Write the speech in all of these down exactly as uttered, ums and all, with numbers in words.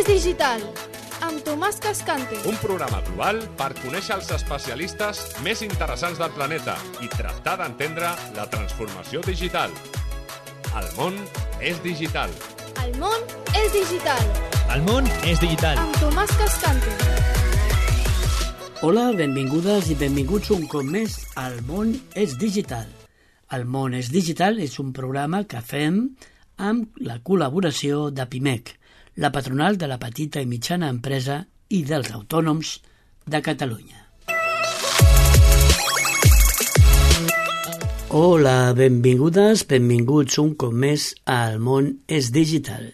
digital, amb Tomàs Cascante. Un programa global per conèixer els especialistes més interessants del planeta i tractar d'entendre la transformació digital. El món és digital. El món és digital. El món és digital. Amb Tomàs Cascante. Hola, benvingudes i benvinguts un cop més al món és digital. El món és digital és un programa que fem amb la col·laboració de Pimec, la patronal de la petita i mitjana empresa i dels autònoms de Catalunya. Hola, benvingudes, benvinguts un cop més al món és digital.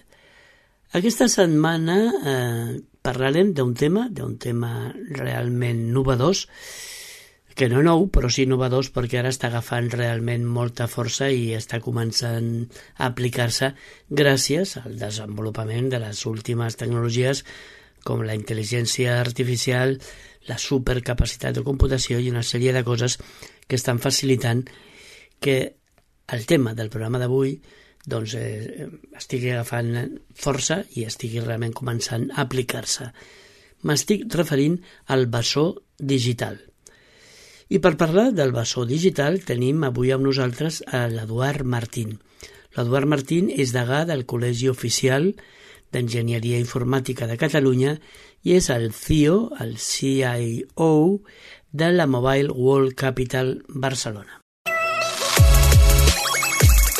Aquesta setmana eh, parlarem d'un tema, d'un tema realment novedós, que no nou, però sí novedós perquè ara està agafant realment molta força i està començant a aplicar-se gràcies al desenvolupament de les últimes tecnologies com la intel·ligència artificial, la supercapacitat de computació i una sèrie de coses que estan facilitant que el tema del programa d'avui doncs, eh, estigui agafant força i estigui realment començant a aplicar-se. M'estic referint al bessó digital. I per parlar del bessó digital tenim avui amb nosaltres a l'Eduard Martín. L'Eduard Martín és degà del Col·legi Oficial d'Enginyeria Informàtica de Catalunya i és el C I O, el C I O de la Mobile World Capital Barcelona.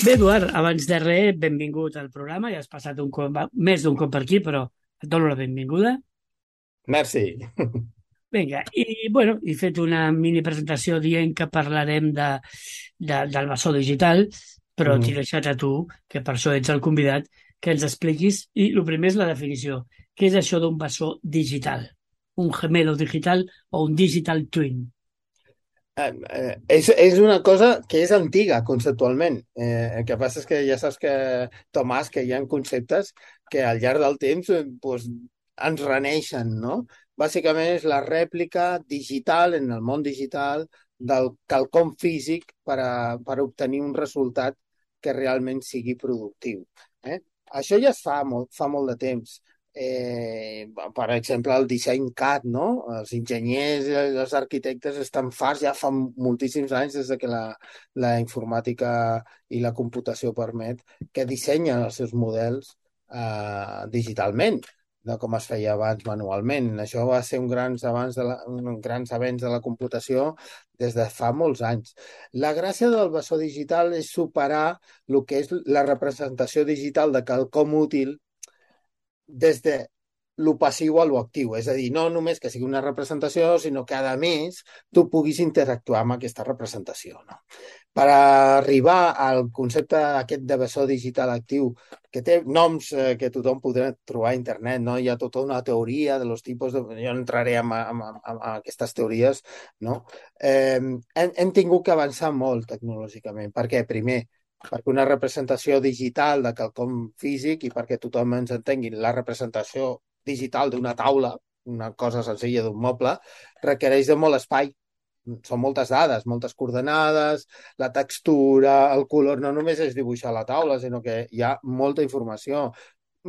Bé, Eduard, abans de res, benvingut al programa. Ja has passat un cop, més d'un cop per aquí, però et dono la benvinguda. Merci. Vinga, i bueno, he fet una mini presentació dient que parlarem de, de, del bessó digital, però mm. t'he deixat a tu, que per això ets el convidat, que ens expliquis, i el primer és la definició. Què és això d'un bessó digital? Un gemelo digital o un digital twin? Eh, eh, és, és una cosa que és antiga conceptualment. Eh, el que passa és que ja saps que, Tomàs, que hi ha conceptes que al llarg del temps eh, pues, ens reneixen, no? Bàsicament és la rèplica digital, en el món digital, del quelcom físic per, a, per obtenir un resultat que realment sigui productiu. Eh? Això ja es fa molt, fa molt de temps. Eh, per exemple, el disseny C A D, no? Els enginyers i els arquitectes estan farts ja fa moltíssims anys des de que la, la informàtica i la computació permet que dissenyen els seus models eh, digitalment, de com es feia abans manualment. Això va ser un grans avanç de la, un grans avenç de la computació des de fa molts anys. La gràcia del bessó digital és superar el que és la representació digital de quelcom útil des de lo passiu a lo actiu. És a dir, no només que sigui una representació, sinó que, a més, tu puguis interactuar amb aquesta representació. No? Per arribar al concepte aquest de bessó digital actiu, que té noms eh, que tothom podrà trobar a internet, no? Hi ha tota una teoria de los tipus de... Jo no entraré en, en, en, en aquestes teories, no? Eh, hem, hem tingut que avançar molt tecnològicament. Per què? Primer, perquè una representació digital de quelcom físic i perquè tothom ens entengui la representació digital d'una taula, una cosa senzilla d'un moble, requereix de molt espai. Són moltes dades, moltes coordenades, la textura, el color, no només és dibuixar la taula, sinó que hi ha molta informació.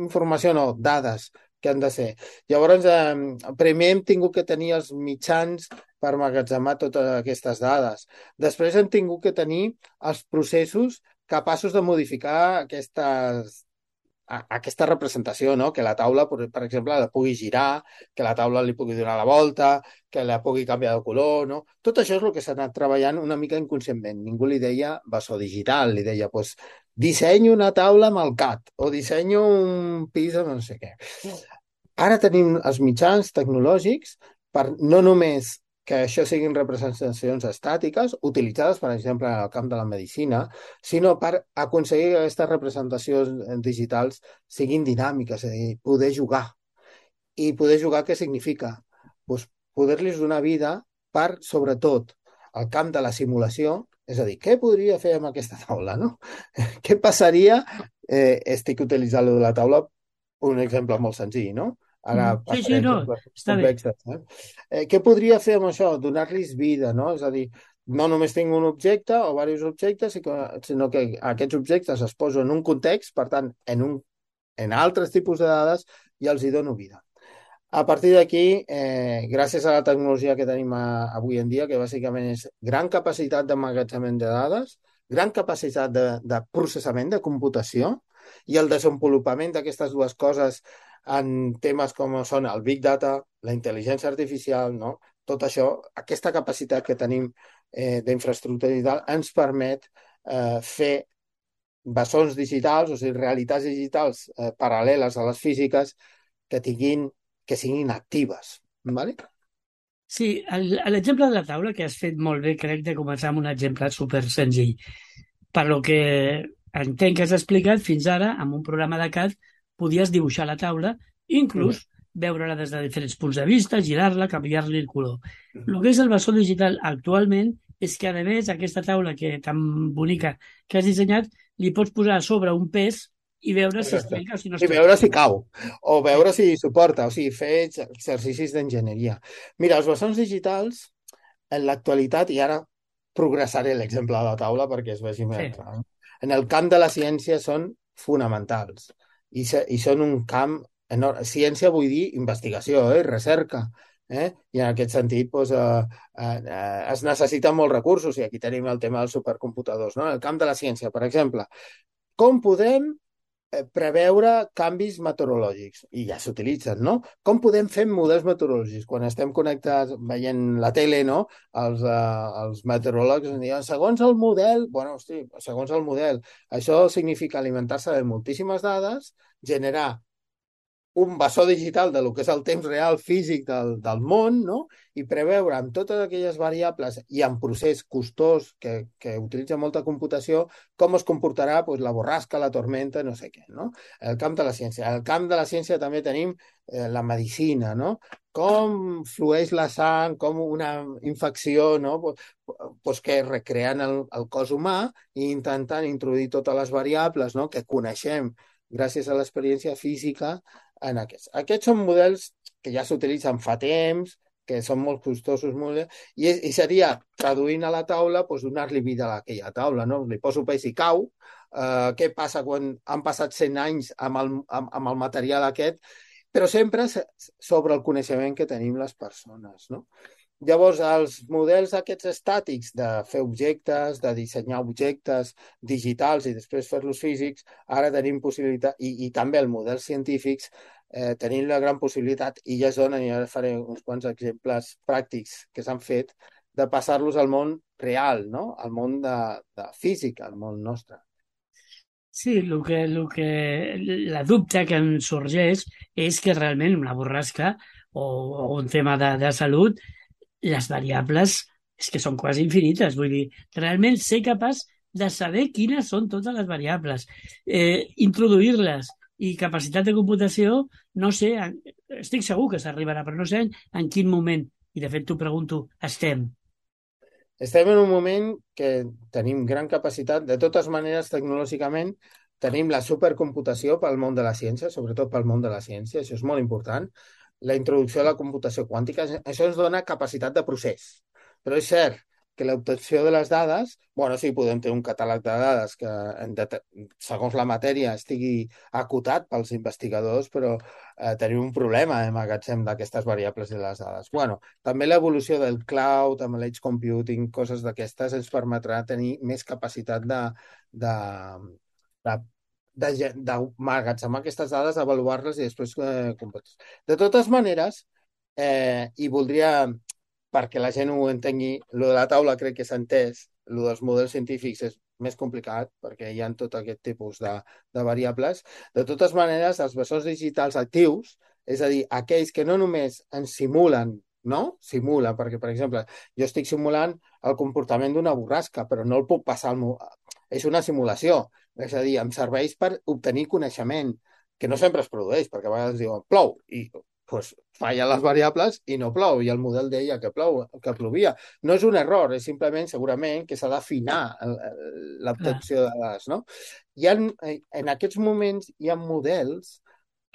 Informació no, dades que han de ser. Llavors, eh, primer hem tingut que tenir els mitjans per emmagatzemar totes aquestes dades. Després hem tingut que tenir els processos capaços de modificar aquestes aquesta representació, no? Que la taula, per exemple, la pugui girar, que la taula li pugui donar la volta, que la pugui canviar de color, no? Tot això és el que s'ha anat treballant una mica inconscientment. Ningú li deia bessó digital, li deia, doncs, dissenyo una taula amb el C A D o dissenyo un pis amb no sé què. Ara tenim els mitjans tecnològics per no només que això siguin representacions estàtiques, utilitzades, per exemple, en el camp de la medicina, sinó per aconseguir que aquestes representacions digitals siguin dinàmiques, és a dir, poder jugar. I poder jugar què significa? Pues poder-los donar vida per, sobretot, el camp de la simulació, és a dir, què podria fer amb aquesta taula, no? Què passaria? Eh, estic utilitzant la taula, un exemple molt senzill, no? Ara sí, sí, no, està bé. Eh? Eh, què podria fer amb això? Donar-los vida, no? És a dir, no només tinc un objecte o diversos objectes, sinó que aquests objectes es posen en un context, per tant, en, un, en altres tipus de dades i els hi dono vida. A partir d'aquí, eh, gràcies a la tecnologia que tenim a, avui en dia, que bàsicament és gran capacitat d'emmagatzemament de dades, gran capacitat de, de processament, de computació, i el desenvolupament d'aquestes dues coses en temes com són el Big Data, la intel·ligència artificial, no? Tot això, aquesta capacitat que tenim eh, d'infraestructura digital ens permet eh, fer bessons digitals, o sigui, realitats digitals eh, paral·leles a les físiques que tinguin, que siguin actives. ¿Vale? Sí, el- l'exemple de la taula que has fet molt bé, crec de començar amb un exemple super senzill. Per lo que entenc que has explicat, fins ara, amb un programa de C A D, podies dibuixar la taula, inclús veure-la des de diferents punts de vista, girar-la, canviar-li el color. El que és el bessó digital actualment és que, a més, aquesta taula que tan bonica que has dissenyat, li pots posar a sobre un pes i veure si es Exacte. trenca o si no es I trenca. veure si cau, o veure si suporta, o sigui, fer ex- exercicis d'enginyeria. Mira, els bessons digitals, en l'actualitat, i ara progressaré l'exemple de la taula perquè es vegi més Sí. clar, en el camp de la ciència són fonamentals i, se, i són un camp enorme. Ciència vull dir investigació, eh? Recerca. Eh? I en aquest sentit doncs, eh, eh, es necessiten molts recursos i aquí tenim el tema dels supercomputadors. No? En el camp de la ciència, per exemple, com podem eh, preveure canvis meteorològics? I ja s'utilitzen, no? Com podem fer models meteorològics? Quan estem connectats veient la tele, no? Els, eh, els meteoròlegs ens diuen, segons el model, bueno, hosti, segons el model, això significa alimentar-se de moltíssimes dades, generar un bessó digital de lo que és el temps real físic del, del món, no? I preveure amb totes aquelles variables i en procés costós que, que utilitza molta computació com es comportarà pues, la borrasca, la tormenta, no sé què, no? El camp de la ciència. Al camp de la ciència també tenim eh, la medicina, no? Com flueix la sang, com una infecció, no? Pues, pues que recreant el, el cos humà i intentant introduir totes les variables, no? Que coneixem gràcies a l'experiència física en aquests. Aquests són models que ja s'utilitzen fa temps, que són molt costosos, molt... I, i seria, traduint a la taula, doncs, donar-li vida a aquella taula, no? Li poso pes i cau. Uh, què passa quan han passat cent anys amb el, amb, amb el material aquest? Però sempre sobre el coneixement que tenim les persones, no? Llavors, els models aquests estàtics de fer objectes, de dissenyar objectes digitals i després fer-los físics, ara tenim possibilitat, i, i també els models científics, eh, tenim la gran possibilitat, i ja es donen, i ara faré uns quants exemples pràctics que s'han fet, de passar-los al món real, no? Al món de, de física, al món nostre. Sí, el que, el que, la dubte que em sorgeix és que realment una borrasca o, o un tema de, de salut, les variables és que són quasi infinites. Vull dir, realment ser capaç de saber quines són totes les variables, eh, introduir-les i capacitat de computació, no sé, en- estic segur que s'arribarà, però no sé en, en quin moment, i de fet t'ho pregunto, estem. Estem en un moment que tenim gran capacitat, de totes maneres, tecnològicament, tenim la supercomputació pel món de la ciència, sobretot pel món de la ciència, això és molt important. La introducció de la computació quàntica, això ens dona capacitat de procés. Però és cert que l'obtenció de les dades, bueno, sí, podem tenir un catàleg de dades que, en det- segons la matèria, estigui acotat pels investigadors, però eh, tenim un problema de magatzem d'aquestes variables de les dades. Bueno, també l'evolució del cloud, amb l'edge computing, coses d'aquestes, ens permetrà tenir més capacitat de, de, de, de, ge- d'emmagatzemar aquestes dades, avaluar-les i després eh, competir. De totes maneres, eh, i voldria, perquè la gent ho entengui, lo de la taula crec que s'ha entès, lo dels models científics és més complicat perquè hi ha tot aquest tipus de, de variables. De totes maneres, els bessons digitals actius, és a dir, aquells que no només ens simulen, no? Simulen, perquè, per exemple, jo estic simulant el comportament d'una borrasca, però no el puc passar al... mo- És una simulació, és a dir, em serveix per obtenir coneixement, que no sempre es produeix, perquè a vegades diuen plou, i pues, fallen les variables i no plou, i el model deia que plou, que plovia. No és un error, és simplement, segurament, que s'ha d'afinar el- el- l'obtenció de dades, no? Hi ha, en aquests moments hi ha models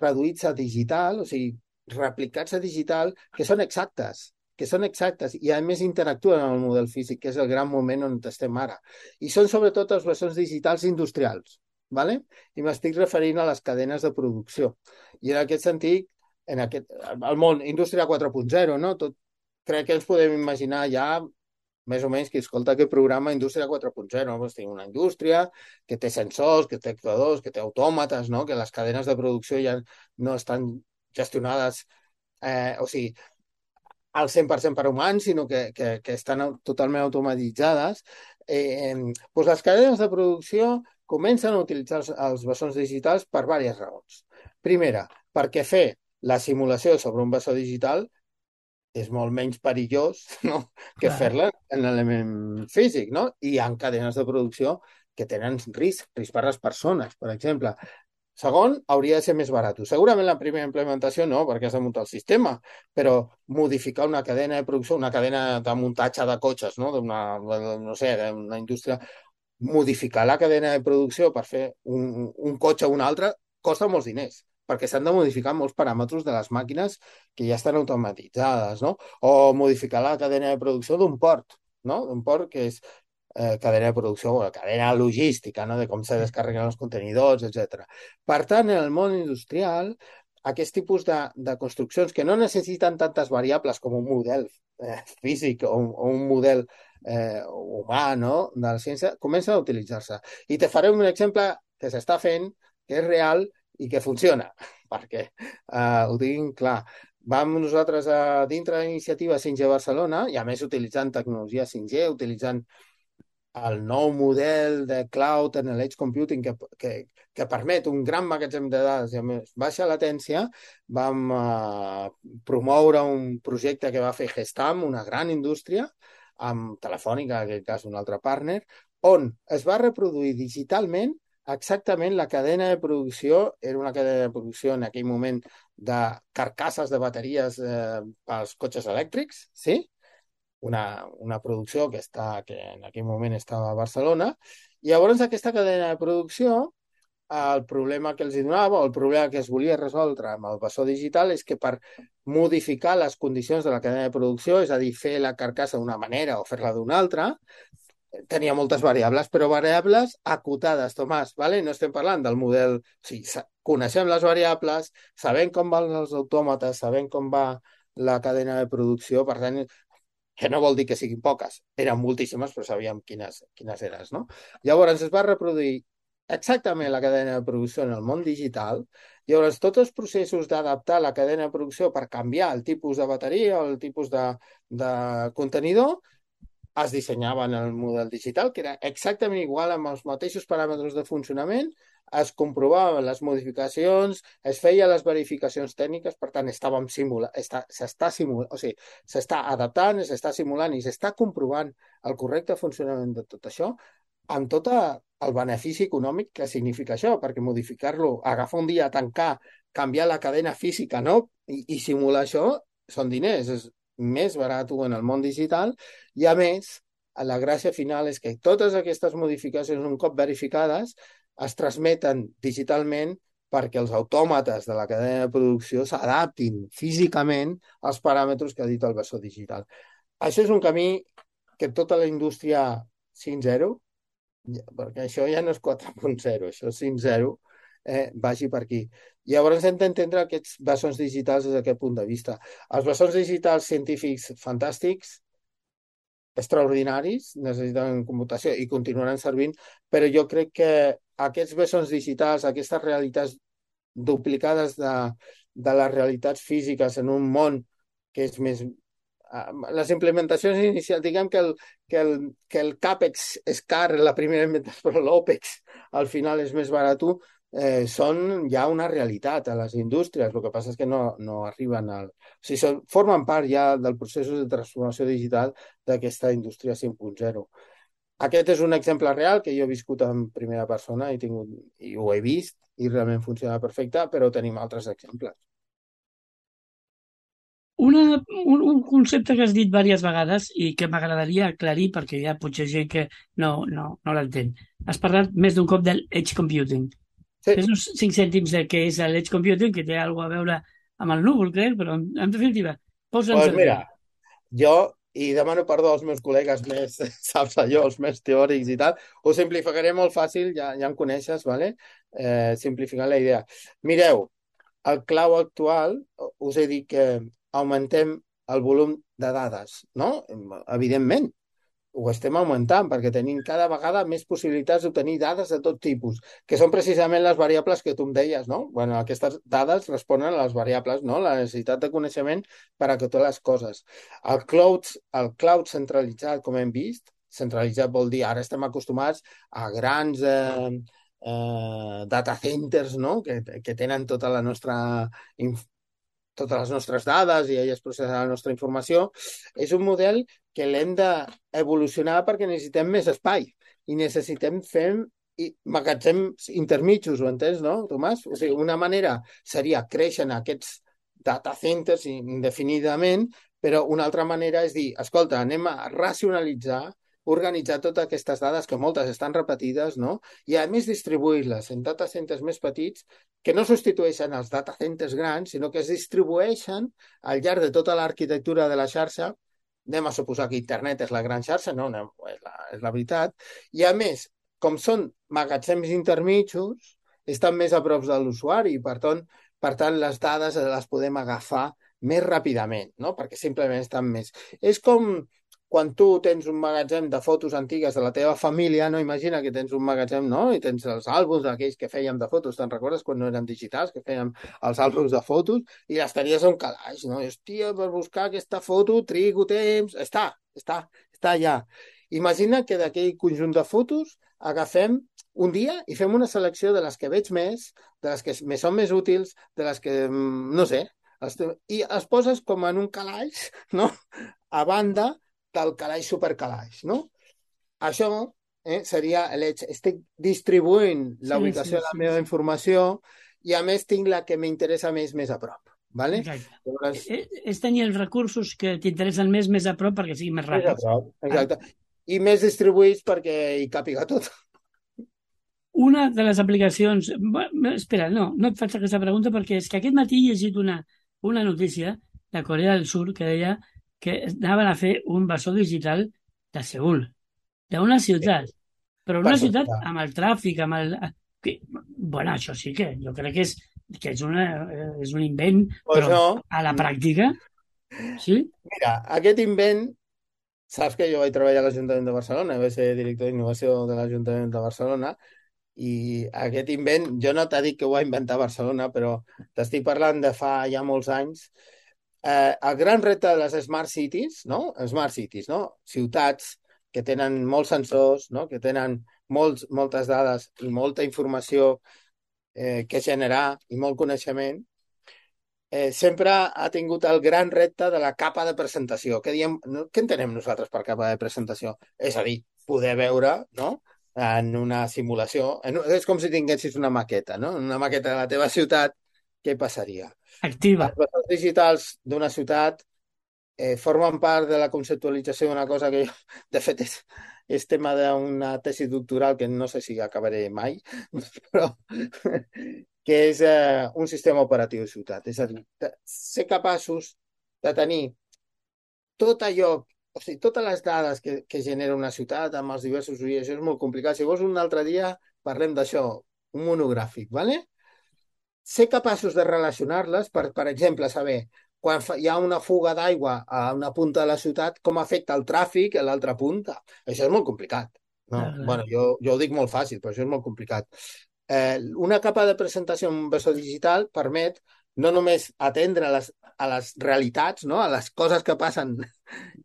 reduïts a digital, o sigui, replicats a digital, que són exactes, que són exactes i a més interactuen amb el model físic, que és el gran moment on estem ara. I són sobretot els bessons digitals industrials. ¿vale? I m'estic referint a les cadenes de producció. I en aquest sentit, en aquest, el món Indústria quatre punt zero, no? Tot, crec que ens podem imaginar ja més o menys qui escolta aquest programa Indústria quatre punt zero, no? Pues tinc una indústria que té sensors, que té actuadors, que té autòmates, no? Que les cadenes de producció ja no estan gestionades, eh, o sigui, al cent per cent per humans, sinó que, que, que estan totalment automatitzades. Eh, doncs les cadenes de producció comencen a utilitzar els, els bessons digitals per diverses raons. Primera, perquè fer la simulació sobre un bessó digital és molt menys perillós, no?, que Clar. fer-la en l'element físic, no? I hi ha cadenes de producció que tenen risc, risc per les persones, per exemple. Segon, hauria de ser més barat. Segurament la primera implementació no, perquè has de muntar el sistema, però modificar una cadena de producció, una cadena de muntatge de cotxes, no, d'una, no sé, d'una indústria, modificar la cadena de producció per fer un, un cotxe o un altre costa molts diners, perquè s'han de modificar molts paràmetres de les màquines que ja estan automatitzades, no? O modificar la cadena de producció d'un port, no? Un port que és eh, cadena de producció, o cadena logística, no? De com se descarreguen els contenidors, etcètera. Per tant, en el món industrial, aquest tipus de, de construccions que no necessiten tantes variables com un model eh, físic o un, o un model eh, humà, no?, de la ciència, comencen a utilitzar-se. I te faré un exemple que s'està fent, que és real i que funciona, perquè eh, ho tinc clar. Vam nosaltres a dintre de l'iniciativa cinc G Barcelona, i a més utilitzant tecnologia cinc G, utilitzant el nou model de cloud en l'edge computing que, que, que permet un gran magatzem de dades i a més baixa latència, vam eh, promoure un projecte que va fer Gestam, una gran indústria, amb Telefònica, en aquest cas un altre partner, on es va reproduir digitalment exactament la cadena de producció, era una cadena de producció en aquell moment de carcasses de bateries eh, pels cotxes elèctrics, sí?, una, una producció que, està, que en aquell moment estava a Barcelona. I llavors aquesta cadena de producció, el problema que els donava, o el problema que es volia resoldre amb el bessó digital, és que per modificar les condicions de la cadena de producció, és a dir, fer la carcassa d'una manera o fer-la d'una altra, tenia moltes variables, però variables acotades, Tomàs, ¿vale? No estem parlant del model... O sigui, coneixem les variables, sabem com van els autòmates, sabem com va la cadena de producció, per tant, que no vol dir que siguin poques, eren moltíssimes, però sabíem quines, quines eren, no? Llavors es va reproduir exactament la cadena de producció en el món digital. Llavors tots els processos d'adaptar la cadena de producció per canviar el tipus de bateria o el tipus de, de contenidor es dissenyaven en el model digital, que era exactament igual amb els mateixos paràmetres de funcionament, es comprovaven les modificacions, es feien les verificacions tècniques, per tant, estàvem simulant, s'està simulant, o sigui, s'està adaptant, s'està simulant i s'està comprovant el correcte funcionament de tot això, amb tot el benefici econòmic que significa això, perquè modificar-lo, agafar un dia, tancar, canviar la cadena física, no?, i, i simular això, són diners, és més barat en el món digital, i a més, la gràcia final és que totes aquestes modificacions, un cop verificades, es transmeten digitalment perquè els autòmates de la cadena de producció s'adaptin físicament als paràmetres que ha dit el bessó digital. Això és un camí que tota la indústria cinc zero, perquè això ja no és quatre punt zero, això és cinc zero, eh, vagi per aquí. Llavors hem d'entendre aquests bessons digitals des d'aquest punt de vista. Els bessons digitals científics fantàstics, extraordinaris, necessiten computació i continuaran servint, però jo crec que aquests bessons digitals, aquestes realitats duplicades de, de les realitats físiques en un món que és més... Les implementacions inicials, diguem que el, que el, que el CAPEX és car en la primera implementació, però l'OPEX al final és més barat, eh, són ja una realitat a les indústries. El que passa és que no, no arriben al... O sigui, són, formen part ja del procés de transformació digital d'aquesta indústria cinc punt zero. Aquest és un exemple real que jo he viscut en primera persona i, tingut, i ho he vist i realment funciona perfecte, però tenim altres exemples. Una, un, un concepte que has dit diverses vegades i que m'agradaria aclarir perquè hi ha potser gent que no, no, no l'entén. Has parlat més d'un cop del edge computing. Sí. Fes uns cinc cèntims de què és l'edge computing, que té alguna a veure amb el núvol, crec, però en, en definitiva, posa'ns pues mira, jo i demano perdó als meus col·legues més, saps allò, els més teòrics i tal, ho simplificaré molt fàcil, ja, ja em coneixes, ¿vale? Eh, simplificant la idea. Mireu, el clau actual, us he dit que augmentem el volum de dades, no? Evidentment, ho estem augmentant perquè tenim cada vegada més possibilitats d'obtenir dades de tot tipus, que són precisament les variables que tu em deies, no? Bueno, aquestes dades responen a les variables, no? La necessitat de coneixement per a totes les coses. El cloud, el cloud centralitzat, com hem vist, centralitzat vol dir, ara estem acostumats a grans eh, eh, data centers, no? Que, que tenen tota la nostra totes les nostres dades i elles processen la nostra informació, és un model que l'hem d'evolucionar perquè necessitem més espai i necessitem fer i magatzems intermitjos, ho entens, no, Tomàs? O sigui, una manera seria créixer en aquests data centers indefinidament, però una altra manera és dir, escolta, anem a racionalitzar, organitzar totes aquestes dades, que moltes estan repetides, no? I a més distribuir-les en data centers més petits que no substitueixen els data centers grans, sinó que es distribueixen al llarg de tota l'arquitectura de la xarxa. Anem a suposar que internet és la gran xarxa, no, no és, la, és la veritat. I a més, com són magatzems intermitjos, estan més a prop de l'usuari i per tant, per tant les dades les podem agafar més ràpidament, no? Perquè simplement estan més. És com quan tu tens un magatzem de fotos antigues de la teva família, no? Imagina que tens un magatzem, no? I tens els àlbums aquells que fèiem de fotos, te'n recordes quan no eren digitals, que fèiem els àlbums de fotos i les tenies a un calaix, no? I, hòstia, per buscar aquesta foto trigo temps... Està, està, està allà. Imagina que d'aquell conjunt de fotos agafem un dia i fem una selecció de les que veig més, de les que me són més útils, de les que, no sé, i es poses com en un calaix, no? A banda del calaix supercalaix, no? Això eh, seria l'heig. Estic distribuint la Sí, ubicació sí, de la sí, meva sí. informació i a més tinc la que m'interessa més més a prop. ¿Vale? Exacte. Llavors, Eh, És tenir els recursos que t'interessen més, més a prop perquè siguin més més a ràpids. prop, exacte. I més distribuïts perquè hi càpiga tot. Una de les aplicacions... Bé, espera, no, no et faig aquesta pregunta perquè és que aquest matí he llegit una, una notícia de Corea del Sur que deia que anaven a fer un bessó digital de Seül, d'una ciutat, però Per una ciutat suposar. amb el tràfic, amb el... Que, bueno, això sí que jo crec que és, que és, una, és un invent, Pues però no. a la pràctica, sí? Mira, aquest invent, saps que jo vaig treballar a l'Ajuntament de Barcelona, vaig ser director d'innovació de l'Ajuntament de Barcelona, i aquest invent, jo no t'he dit que ho va inventar Barcelona, però t'estic parlant de fa ja molts anys. Eh, el gran repte de les Smart Cities, no? Smart Cities, no? Ciutats que tenen molts sensors, no? Que tenen molts, moltes dades i molta informació eh, que generar i molt coneixement, eh, sempre ha tingut el gran repte de la capa de presentació. Què diem, no? Què entenem nosaltres per capa de presentació? És a dir, poder veure, no?, en una simulació. En, és com si tinguessis una maqueta, no? Una maqueta de la teva ciutat, què passaria? Activa. Els vectors digitals d'una ciutat eh, formen part de la conceptualització d'una cosa que jo, de fet, és, és tema d'una tesi doctoral que no sé si acabaré mai, però que és eh, un sistema operatiu de ciutat. És a dir, de, ser capaços de tenir tot allò, o sigui, totes les dades que, que genera una ciutat amb els diversos usuaris, això és molt complicat. Si vols un altre dia parlem d'això, un monogràfic, ¿vale? Ser capaços de relacionar-les, per, per exemple, saber quan fa, hi ha una fuga d'aigua a una punta de la ciutat, com afecta el tràfic a l'altra punta. Això és molt complicat. No? Clar, clar. Bueno, jo, jo ho dic molt fàcil, però això és molt complicat. Eh, una capa de presentació en un bessó digital permet no només atendre a les, a les realitats, no? A les coses que passen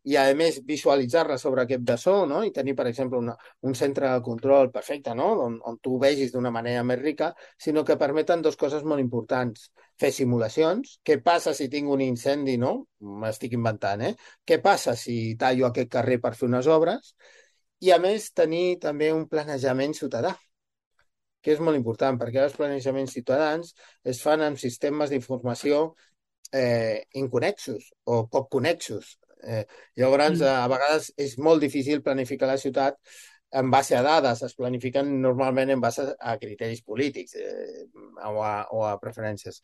i, a més, visualitzar-les sobre aquest bessó, no? I tenir, per exemple, una, un centre de control perfecte, no? On, on tu ho vegis d'una manera més rica, sinó que permeten dues coses molt importants. Fer simulacions. Què passa si tinc un incendi, no? M'estic inventant, eh? Què passa si tallo aquest carrer per fer unes obres? I, a més, tenir també un planejament ciutadà, que és molt important, perquè els planejaments ciutadans es fan amb sistemes d'informació eh, inconnexos o poc connexos. Eh, llavors, Mm. a vegades és molt difícil planificar la ciutat en base a dades, es planifiquen normalment en base a criteris polítics eh, o, a, o a preferències.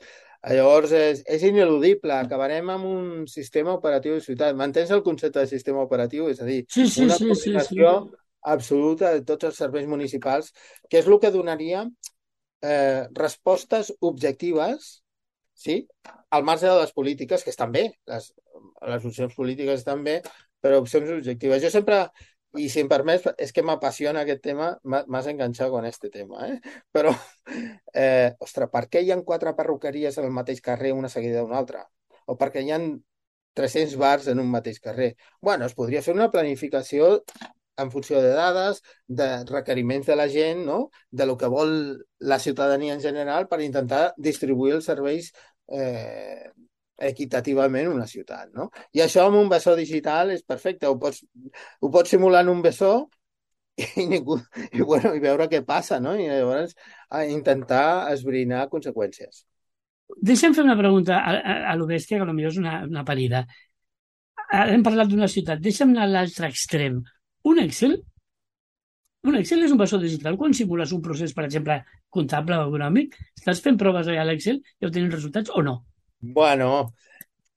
Llavors, és, és ineludible. Acabarem amb un sistema operatiu de ciutat. Mantens el concepte de sistema operatiu? És a dir, Sí, sí, una sí, coordinació sí, sí. absoluta de tots els serveis municipals, que és el que donaria eh, respostes objectives, sí, al marge de les polítiques, que estan bé, les, les opcions polítiques estan bé, però opcions objectives. Jo sempre, i si em permets, és que m'apassiona aquest tema, m'has enganxat con este tema, eh? Però, eh, ostres, per què hi ha quatre perruqueries en el mateix carrer, una seguida d'una altra? O per què hi ha tres-cents bars en un mateix carrer? Bueno, es podria fer una planificació en funció de dades, de requeriments de la gent, no? De lo que vol la ciutadania en general per intentar distribuir els serveis eh, equitativament en una ciutat, no? I això amb un bessó digital és perfecte. Ho pots, ho pots simular en un bessó i, ningú, i, bueno, i veure què passa, no? I llavors a intentar esbrinar conseqüències. Deixa'm fer una pregunta a, a, a lo bèstia, que potser és una, una parida. Hem parlat d'una ciutat. Deixa'm anar a l'altre extrem. Un Excel? Un Excel és un bessó digital. Quan simules un procés, per exemple, comptable o econòmic, estàs fent proves allà a l'Excel i obtenint resultats o no? Bueno,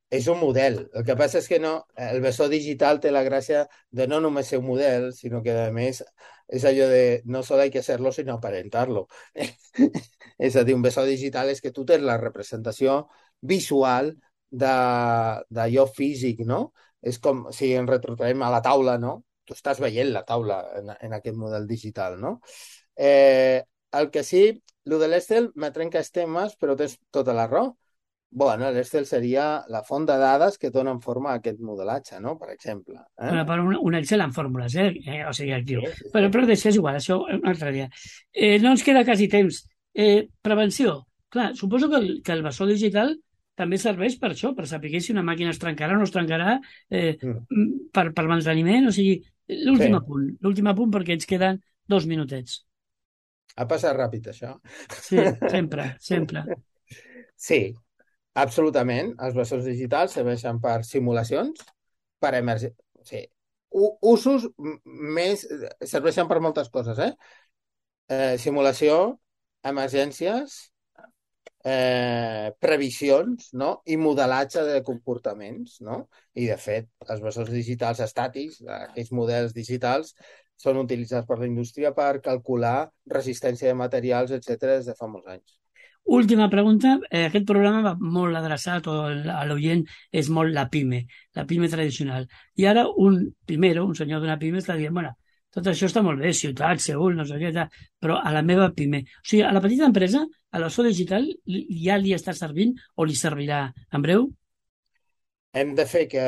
és un model. El que passa és que no, el bessó digital té la gràcia de no només ser un model, sinó que, a més, és allò de no solo hay que serlo, sino aparentarlo. És a dir, un bessó digital és que tu tens la representació visual d'allò físic, no? És com si ens retrotraiem a la taula, no? Tu estàs veient la taula en, en aquest model digital, no? Eh, el que sí, el de l'Excel me trenca els temes, però tens tota la raó. Bueno, l'Excel seria la font de dades que donen forma a aquest modelatge, no? Per exemple. Eh? Bueno, per un, un Excel amb fórmules, eh? eh o sigui, actiu. Sí, sí, sí. Però, però deixes igual, això un altre dia. Eh, no ens queda quasi temps. Eh, prevenció. Clar, suposo que el, que el bessó digital també serveix per això, per saber si una màquina es trencarà o no es trencarà eh, mm. per, per manteniment, o sigui, l'últim sí. apunt, l'últim apunt perquè ens queden dos minutets. Ha passat ràpid, això. Sí, sempre, sempre. Sí, absolutament. Els bessons digitals serveixen per simulacions, per emergències. Sí. Usos més... serveixen per moltes coses, eh? eh simulació, emergències, Eh, previsions, no? I modelatge de comportaments, no? I, de fet, els bessons digitals estàtics, aquells models digitals, són utilitzats per la indústria per calcular resistència de materials, etcètera, des de fa molts anys. Última pregunta. Eh, aquest programa va molt adreçat, o a l'oient és molt la PIME, la PIME tradicional. I ara un primero, un senyor d'una PIME, està dient, bueno, tot això està molt bé, ciutat, Seül, no sé què, però a la meva PIME. O sigui, a la petita empresa, a la bessó digital, ja li està servint o li servirà en breu? Hem de fer que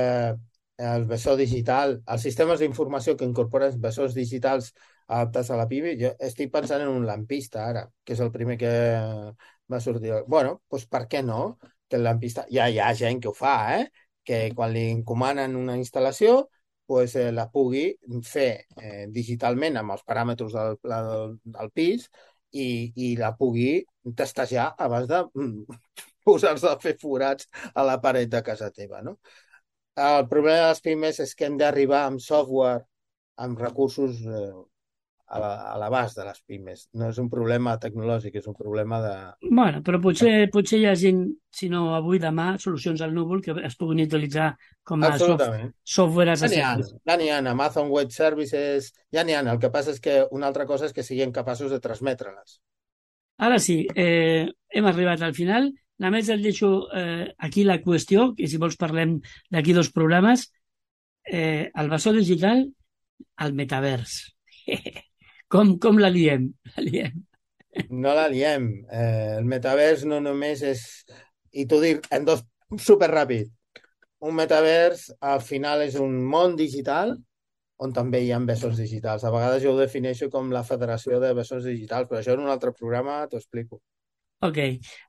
el bessó digital, els sistemes d'informació que incorporen bessons digitals adaptats a la PIME, jo estic pensant en un lampista ara, que és el primer que va sortir. Bueno, doncs per què no? Que el lampista... Ja hi ha gent que ho fa, eh? Que quan li encomanen una instal·lació, pues, eh, la pugui fer eh, digitalment amb els paràmetres del, del, del pis i, i la pugui testejar abans de mm, posar-se a fer forats a la paret de casa teva, no? El problema de les pimes és que hem d'arribar amb software, amb recursos eh, a l'abast de les pimes. No és un problema tecnològic, és un problema de... Bueno, però potser, potser hi ha gent, si no avui, demà, solucions al núvol que es puguin utilitzar com a soft, software as a service. Ja n'hi ha, Amazon Web Services, ja n'hi ha. El que passa és que una altra cosa és que siguin capaços de transmetre-les. Ara sí, eh, hem arribat al final. Només et deixo eh, aquí la qüestió, i si vols parlem d'aquí dos programes. Eh, el bessó digital al metavers. Com, com la liem? La liem. No la liem. Eh, el metavers no només és... I t'ho dic en dos... Superràpid. Un metavers, al final, és un món digital on també hi ha bessons digitals. A vegades jo ho defineixo com la federació de bessons digitals, però això en un altre programa t'ho explico. Ok.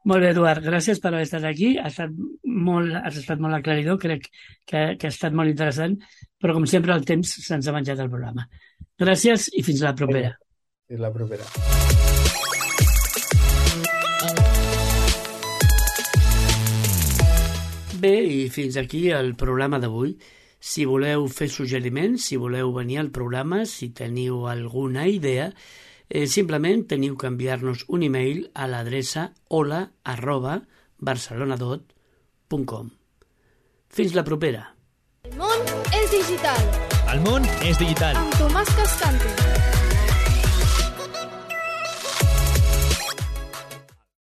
Molt bé, Eduard. Gràcies per haver estat aquí. Ha estat molt, has estat molt aclaridor. Crec que, que ha estat molt interessant, però, com sempre, el temps se'ns ha menjat el programa. Gràcies i fins la propera. Fins la propera. Bé, i fins aquí el programa d'avui. Si voleu fer suggeriments, si voleu venir al programa, si teniu alguna idea, eh, simplement teniu que enviar-nos un email a l'adreça hola arroba barcelonadot punt com. Fins la propera. El món és digital. El món és digital. Amb Tomàs Cascante.